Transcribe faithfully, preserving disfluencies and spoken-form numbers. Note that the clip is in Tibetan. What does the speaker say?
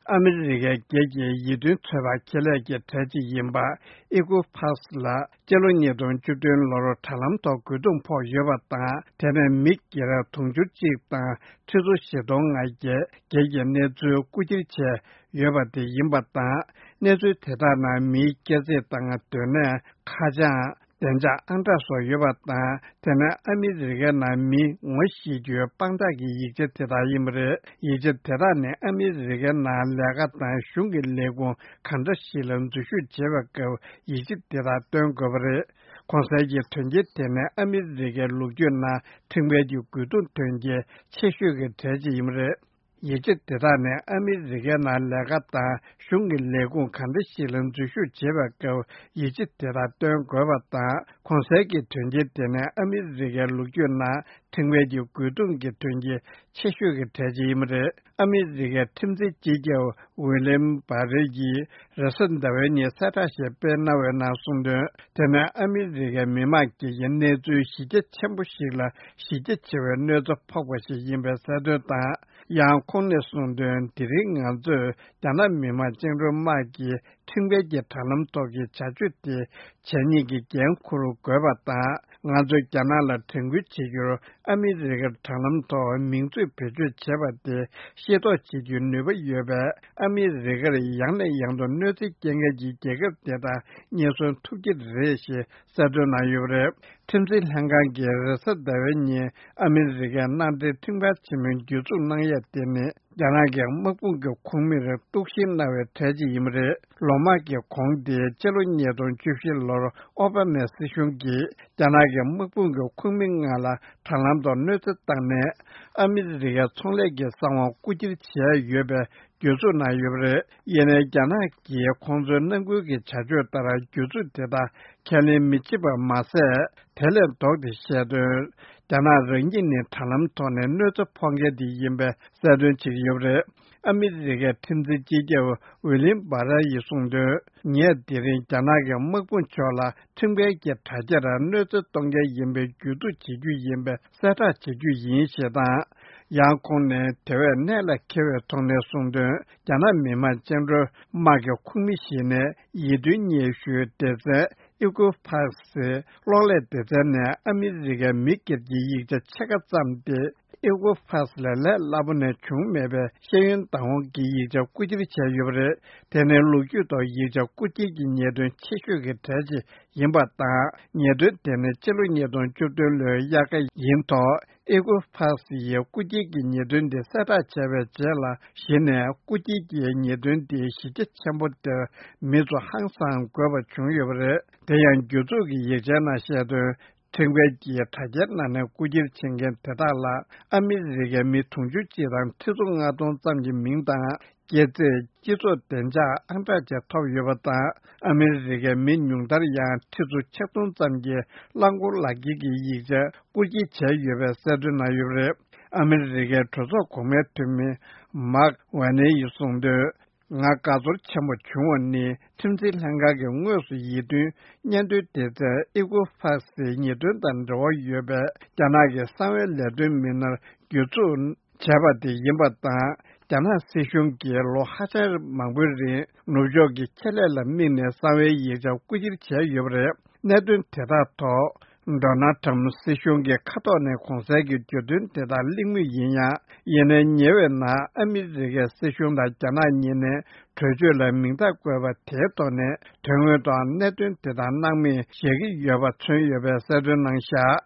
ཨ་མི་རི་ཀའི་སྒེར་གྱི་ཡིད་རྟོན་ཚོད་དཔག་ཁེ་ལས་ཀྱི་གྲས་གཅིག་ཡིན་པ་ཨི་ཀོ་ཕཱས་ལ། སྤྱི་ལོ་ཉིས་སྟོང་བཅུ་བདུན་ལོར་དྲ་ལམ་ཐོག་རྒོལ་རྡུང་ཕོག་ཡོད་པ་དང་། དེ་ནས་མི་སྒེར་དུང་ཕྱུར་གཅིག་དང་ཁྲི་ཚོ་བཞི་སྟོང་ལྔ་བརྒྱ་སྒེར་གྱི་གནས་ཚུལ་རྐུ་འཁྱེར་བྱས་ཡོད་པ་དེ་ཡིན་པ་དང་། གནས་ཚུལ་དེ་དག་ནང་མིའི་སྐྱེ་ཚེས་དང་། སྡོད་གནས། ཁ་བྱང་། བདེ་འཇགས་ཨང་གྲངས་སོགས་ཡོད་པ་དང་། དེ་ནི་ཨ་མི་རི་ཀའི་ནང་མི་ངོ་ཤེས་རྒྱུའི་དཔང་རྟགས་ཀྱི་ཡིག་ཆ་དེ་དག་ཡིན་པ་རེད། ཡིག་ཆ་དེ་དག་ནི་ཨ་མི་རི་ཀའི་ནང་ལས་ཀ་དང་གཞུང་གི་ལས་ཁུངས་གང་འདྲ་ཞིག་ལ་འཛུལ་ཞུགས་བྱེད་པའི་སྐབས་ཡིག་ཆ་དེ་དག་སྟོན་དགོས་པ་རེད། གོང་གསལ་གྱི་དོན་རྐྱེན་དེ་ནི་ཨ་མི་རི་ཀའི་ལོ་རྒྱུས་ནང་ཁྲིམས་འགལ་གྱི་རྒོལ་རྡུང་དོན་རྐྱེན་ཆེ་ཤོས་ཀྱི་གྲས་གཅིག་ཡིན་པ་རེད། ཡིག་ཆ་དེ་དག་ནི་ཨ་མི་རི་ཀའི་ནང་ལས་ཀ་དང་གཞུང་གི་ལས་ཁུངས་གང་འདྲ་ཞིག་ལ་འཛུལ་ཞུགས་བྱེད་པའི་སྐབས་ཡིག་ཆ་དེ་དག་སྟོན་དགོས་པ་དང་། གོང་གསལ་གྱི་དོན་རྐྱེན་དེ་ནི་ཨ་མི་རི་ཀའི་ལོ་རྒྱུས་ནང་ཁྲིམས་འགལ་གྱི་རྒོལ་རྡུང་གི་དོན་རྐྱེན་ཆེ་ཤོས་ཀྱི་གྲས་གཅིག་ཡིན་པ་རེད། ཨ་མི་རི་ཀའི་ཁྲིམས་འཛིན་སྤྱི་ཁྱབ་ཝི་ལིམ་བྷ་རེ་ཡིས་རེས་གཟའ་ཟླ་བའི་ཉིན་གསལ་བསྒྲགས་ཤིག་སྤེལ་གནང་བའི་ནང་གསུངས་དོན། དེ་ནི་ཨ་མི་རི་ཀའི་མི་མང་གི་གནས་ཚུལ་གཞི་རྒྱ་ཆེན་པོ་ཞིག་ལ་གཞི་རྒྱ་ཆེ་བའི་གནོད་འཚེ་ཕོག་པ་ཞིག་ཡིན་པའི་གསལ་སྟོན་དང་། ཡང་ཁོང་ནས་གསུངས་དོན། དེ་རིང་ང་ཚོས་རྒྱ་ནག་མི་དམངས་བཅིངས་འགྲོལ་དམག་གིས་ཁྲིམས་འགལ་གྱི་དྲ་ལམ་ཐོག་གི་བྱ་སྤྱོད་དེ་བྱས་ཉེས་ཀྱི་འགན་འཁུར་དགོས་པ་དང་། ང་ཚོས་རྒྱ་ནག་ལ་དྲན་སྐུལ་བྱེད་རྒྱུར། ཨ་མི་རི་ཀའི་དྲ་ལམ་ཐོག་མིང་མཛོད་བེད་སྤྱོད་བྱས་པ་དེ་ཤེས་རྟོགས་བྱེད་རྒྱུའི་ནུས་པ་ཡོད་པས། ཨ་མི་རི་ཀར་ཡང་ནས་ཡང་དུ་གནོད་འཚེ་སྐྱེལ་མཁན་གྱི་རྒྱལ་ཁབ་དེ་དག་རྙེད་སོན་ཐུབ་ཀྱི་རེད་ཞེས་གསལ་སྟོན་གནང་ཡོད་པ་རེད། ཁྲིམས་འཛིན་ལྷན་ཁང་གིས་རེས་གཟའ་ཟླ་བའི་ཉིན་ཨ་མི་རི་ཀའི་མནའ་འབྲེལ་ཁྲིམས་ཁང་ཆེན་མོའི་གྱོད་འཛུགས་གནང་ཡས་དེ་ནི། རྒྱ་ནག་གི་དམག་དཔུང་གི་ཁོངས་མིར་གཏུག་བཤེར་གནང་བའི་གྲས་ཅིག་ཡིན་པ་རེད། ལོ་མང་གི་གོང་དེ་སྤྱི་ལོ་ཉིས་སྟོང་བཅུ་བཞི་ལོར་ཨོ་བྷ་མའི་སྲིད་གཞུང་གིས་རྒྱ་ནག་གི་དམག་དཔུང་གི་ཁོངས་མི་ལྔ་ལ་དྲ་ལམ་ཐོག་གནོད་འཚེ་བཏང་ནས། ཨ་མི་རི་ཀའི་ཚོང་ལས་ཀྱི་གསང་བ་རྐུ་འཁྱེར་བྱས་ཡོད་པའི་གྱོད་འཛུགས་གནང་ཡོད་པ་རེད། ཡིན་ནའི་རྒྱ་ནག་གིས་ཁོང་ཚོའི་ནང་ཁུལ་གྱི་བྱ་སྤྱོད་ལྟར་གྱོད་འཛུགས་དེ་དག་ཁས་ལེན་མི་བྱེད་པ་མ་ཟད། དེ་ལས་ལྡོག་སྟེ་བཤད་དོན། རྒྱ་ནག་རང་ཉིད་ནི་དྲ་ལམ་ཐོག་ནས་གནོད་འཚེ་ཕོག་མཁན་དེ་ཡིན་པའི་གསལ་སྟོན་བྱེད་ཀྱི་ཡོད་པ་རེད། ཨ་མི་རི་ཀའི་ཁྲིམས་འཛིན་སྤྱི་ཁྱབ་ཝི་ལིམ་བྷ་ར་ཡིས་གསུངས་དོན། ངས་དེ་རིང་རྒྱ་ནག་གི་དམག་དཔུང་ཕྱོགས་ལ་ཁྲིམས་འགལ་གྱི་དྲ་རྒྱར་གནོད་འཚེ་གཏོང་མཁན་ཡིན་པའི་གྱོད་འཛུགས་བྱེད་རྒྱུ་ཡིན་པའི་གསལ་བསྒྲགས་བྱེད་རྒྱུ་ཡིན་ཞེས་དང་། ཡང་ཁོང་ནས་དེ་བས་གནད་ལ་འཁེལ་བའི་ཐོག་ནས་གསུངས་དོན། རྒྱ་ནག་མི་དམངས་བཅིངས་འགྲོལ་དམག་གི་ཁོངས་མི་ཞིག་ནས་ཡིད་རྟོན་སྙན་ཞུའི་སྡེ་ཚན་ཨི་ཀོ་ཕག་སི་གློག་ཀླད་སྡེ་ཚན་ནས་ཨ་མི་རི་ཀའི་མི་སྒེར་གྱི་ཡིག་ཆ་ཕྱེད་ཀ་ཙམ་སྟེ། ཨི་ཀོ་ཕག་སི་ལས་ལས་སླ་པོ་ནས་བྱུང་མེད་པའི་ཤེས་ཡོན་བདག་དབང་གི་ཡིག་ཆ་རྐུ་འཁྱེར་བྱས་ཡོད་པ་རེད། དེ་ནི་ལོ་རྒྱུས་ཐོག་ཡིག་ཆ་རྐུ་འཁྱེར་གྱི་ཉེས་དོན་ཆེ་ཤོས་ཀྱི་གྲས་ཅིག་ཡིན་པ་དང་། ཉེས་དོན་དེ་ནི་སྤྱི་ལོ་ཉིས་སྟོང་བཅུ་བདུན་ལོའི་དབྱར་ཁ་ཡིན་ཐོག་ཨི་ཀོ་ཕག་སི་ཡིས་རྐུ་འཁྱེར་གྱི་ཉེས་དོན་དེ་གསལ་བསྒྲགས་བྱས་པའི་རྗེས་ལ། གཞི་ནས་རྐུ་འཁྱེར་གྱི་ཉེས་དོན་དེ་གཞི་རྒྱ་ཆེན་པོ་དེར་མི་ཚོ་ཧང་སང་དགོས་པ་བྱུང་ཡོད་པ་རེད། དེ་ཡང་གྱོད་འཛུགས་ཀྱི་ཡིག་ཆའི་ནང་བཤད་དོན། ཁྲིམས་འགལ་གྱིས་དྲ་རྒྱའི་ནང་ནས་རྐུ་འཁྱེར་བྱེད་མཁན་དེ་དག་ལ་ཨ་མི་རི་ཀའི་མི་དུང་ཕྱུར་གཅིག་དང་ཁྲི་ཚོ་ལྔ་སྟོང་ཙམ་གྱི་མིང་དང་། སྐྱེས་ཚེས། སྤྱི་ཚོགས་བདེ་འཇགས་ཨང་གྲངས་བཅས་ཐོབ་ཡོད་པ་དང་། ཨ་མི་རི་ཀའི་མི་ཉུང་མཐར་ཡང་ཁྲི་ཚོ་ཆིག་སྟོང་ཙམ་གྱིས་རླངས་འཁོར་ལག་འཁྱེར་གྱི་ཡིག་ཆ་རྐུ་འཁྱེར་བྱས་ཡོད་པའི་གསལ་སྟོན་གནང་ཡོད་པ་རེད། ཨ་མི་རི་ཀའི་གྲོས་ཚོགས་གོང་མའི་འཐུས་མི་མཱག་ཝེ་ནེ་ཡིས་གསུངས་དོན། ང་དགའ་ཚོར་ཆེན་པོ་བྱུང་བ་ནི། ཁྲིམས་འཛིན་ལྷན་ཁང་གིས་དངོས་སུ་ཡིད་རྟོན་སྙན་ཐོའི་སྡེ་ཚན་ཨི་ཀོ་ཕག་སིའི་ཉེས་དོན་དང་འབྲེལ་བ་ཡོད་པའི་རྒྱ་ནག་གི་གསང་བའི་ལས་དོན་མི་སྣར་གྱོད་འཛུགས་བྱས་པ་དེ་ཡིན་པ་དང་། རྒྱ་ནག་སྲིད་གཞུང་གིས་ལོ་ཧ་ཅང་མང་པོའི་རིང་ནུབ་ཕྱོགས་ཀྱི་ཆེད་ལས་ལ་དམིགས་ནས་གསང་བའི་ཡིག་ཆ་རྐུ་འཁྱེར་བྱས་ཡོད་པ་རེད། གནད་དོན་དེ་དག་ཐོག་ཌོ་ནལ་ཊམ་སྲིད་གཞུང་གི་ཁ་ཐོག་ནས་གོང་གསལ་གྱི་བརྗོད་དོན་དེ་དག་གླེང་མུས་ཡིན་ཡང་། ཡིན་ནའི་ཉེ་བའི་ནང་ཨ་མི་རི་ཀའི་སྲིད་གཞུང་དང་རྒྱ་ནག་གཉིས་ནས་གྲོས་ཆོད་ལ་མིང་རྟགས་བཀོད་པ་དེའི་ཐོག་ནས་དོན་དངོས་ཐོག་གནད་དོན་དེ་དག་སྣང་མེད་བཞག་གི་ཡོད་པ་མཚོན་ཡོད་པའི་གསལ་སྟོན་གནང་བཞག